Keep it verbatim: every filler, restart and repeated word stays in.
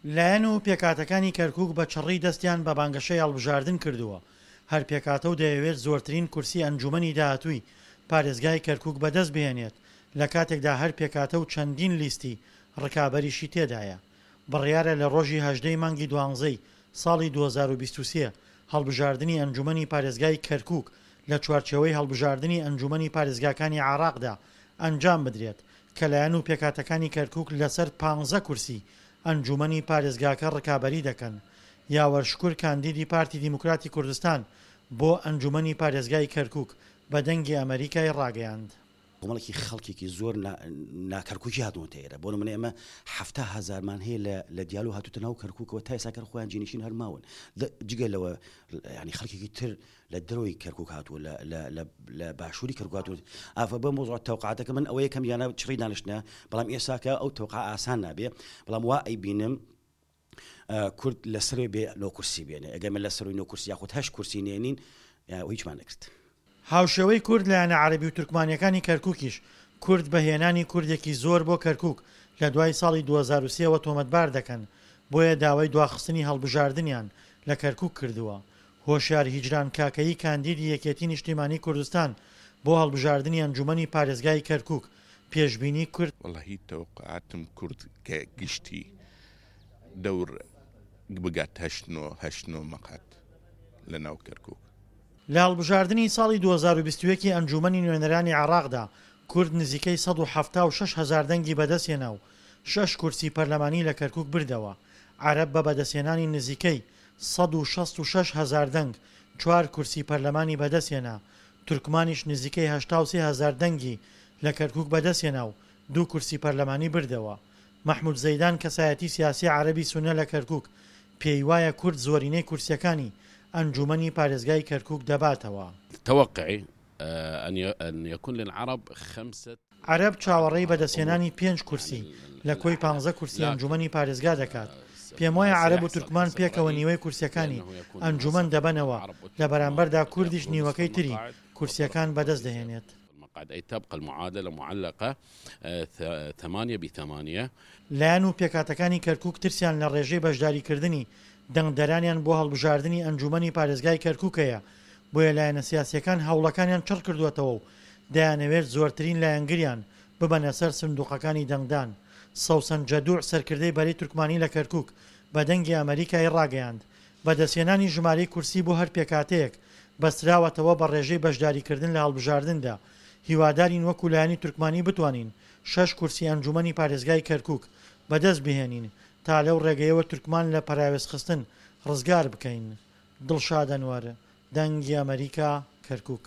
لایەن و پێکهاتەکانی کەرکوک بە چڕی دەستیان بە بانگەشەی هەڵبژاردن کردووە، هەر پێکهاتە و دەیەوێت زۆرترین کورسی ئەنجومەنی داهاتووی پارێزگای کەرکوک بەدەست بهێنێت، لەکاتێکدا هەر پێکهاتە و چەندین لیستی ڕکابەریشی تێدایە. بڕیارە لە ڕۆژی هەژدە ی مانگی دوانزەی ساڵی دوو هەزار و بیست و سێ هەڵبژاردنی ئەنجومەنی پارێزگای کەرکوک لە چوارچێوەی هەڵبژاردنی ئەنجومەنی پارێزگاکانی عێراقدا ئەنجام بدرێت کە لایەن و پێکهاتەکانی کەرکوک لەسەر پانزە کورسی ئەنجومەنی پارێزگاکە ڕکابەری دەکەن. یاوەر شکور کاندیدی پارتی دیموکراتی کوردستان بۆ ئەنجومەنی پارێزگای کەرکوک بە دەنگی ئەمەریکای ڕاگەیاند. کۆمەڵێکی خەڵکێکی زۆر ناکەرکوکی هاتوونەتە ئێرە بۆ نمونە ئێمە حەفتا هەزارمان هەیە لە لە دیالۆ هاتووتە ناو کەرکوکەوە تا ئێستا کەر خۆیان جێنشین هەر ماون جگە لەوە ینی خەڵکێکی تر لە دەرەوەی کەرکوک هاتووە لە لە لە لە باشووری کەرکوک هاتووە ئافە بۆ مۆزوع تەوقعاتەکە من ئەوەیە کەم یانە چڕی دانیشتنە بەڵام ئێساکە ئەو تەوقع ئاسان نابێ بەڵام وا ئەیبینم کورد لە سەروی بێ نۆ کورسی بێنێ ئەگەر من لە سەروی نۆ کورسی یاخود هەشت کورسی نێنین هیچمان نەکرد. هاوشێوەی کورد لایەنە عەرەبی و تورکمانیەکانی کەرکوکیش کورد بە هێنانی کوردێکی زۆر بۆ کەرکوک لە دوای ساڵی دوو هەزار و سێ وە تۆمەتبار دەکەن، بۆیە داوای دواخستنی هەڵبژاردنیان لە کەرکوک کردووە. هۆشیار هیجران کاکەیی کاندیدی یەکێتی نیشتیمانی کوردستان بۆ هەڵبژاردنی ئەنجومەنی پارێزگای کەرکوک پێشبینی کرد، وەڵاهی تەوەقوعاتم کورد کە گشتی دەور بگات هەشت نۆ هەشت نۆ مەقعەد لە ناو کەرکوک. لە هەڵبژاردنی ساڵی دوو هەزار و بیست و یەک ی ئەنجوومەنی نوێنەرانی عێراقدا کورد نزیکەی سەد و حەفتا و شەش هەزار دەنگی بەدەستهێنا و شەش کورسی پەرلەمانی لە کەرکوک بردەوە، عەرەب بە بەدەستهێنانی نزیکەی سەد و شەست و شەش هەزار دەنگ چوار کورسی پەرلەمانی بەدەستهێنا، تورکمانیش نزیکەی هەشتا و سێ هەزار دەنگی لە کەرکوک بەدەستهێنا و دوو کورسی پەرلەمانی بردەوە. مەحمود زەیدان کەسایەتی سیاسی عەرەبی سوننە لە کەرکوک پێیوایە کورد زۆرینەی کورسییەکانی ئەنجوومەنی پارێزگای کەرکوک دەباتەوە. توقعی ان یکون للعرب خمسە. عەرەب چاوەڕێی بەدەستهێنانی پێنج کورسی لە کۆی پانزە کورسی ئەنجوومەنی پارێزگا دەکات، پێموایە عەرەب و تورکمان پێکەوە نیوەی کورسییەکانی ئەنجوومەن دەبەنەوە، لە بەرامبەردا کوردیش نیوەکەی تری کورسییەکان بەدەست دەهێنێت. لایەن و پێکهاتەکانی کەرکوک ترسیان لە ڕێژەی بەشداریکردنی دەنگدەرانیان بۆ هەڵبژاردنی ئەنجوومەنی پارێزگای کەرکوک هەیە، بۆیە لایەنە سیاسییەکان هەوڵەکانیان چڕکردووەتەوە و دەیانەوێت زۆرترین لایەنگریان ببەنە سەر سندوقەکانی دەنگدان. سەوسەن جەدوع سەرکردەی بەرەی تورکمانی لە کەرکوک بە دەنگی ئەمەریکای ڕاگەیاند، بەدەستهێنانی ژمارەی کورسی بۆ هەر پێکهاتەیەک بەستراوەتەوە بە ڕێژەی بەشداریکردن لە هەڵبژاردندا، هیوادارین وەکو لایەنی تورکمانی بتوانین شەش کورسی ئەنجومەنی پارێزگای کەرکوک بەدەست بهێنین تا لەو ڕێگەیەوە تورکمان لە پەراوێزخستن ڕزگار بکەین. دڵشاد ئەنوەر، دەنگی ئەمەریکا، کەرکوک.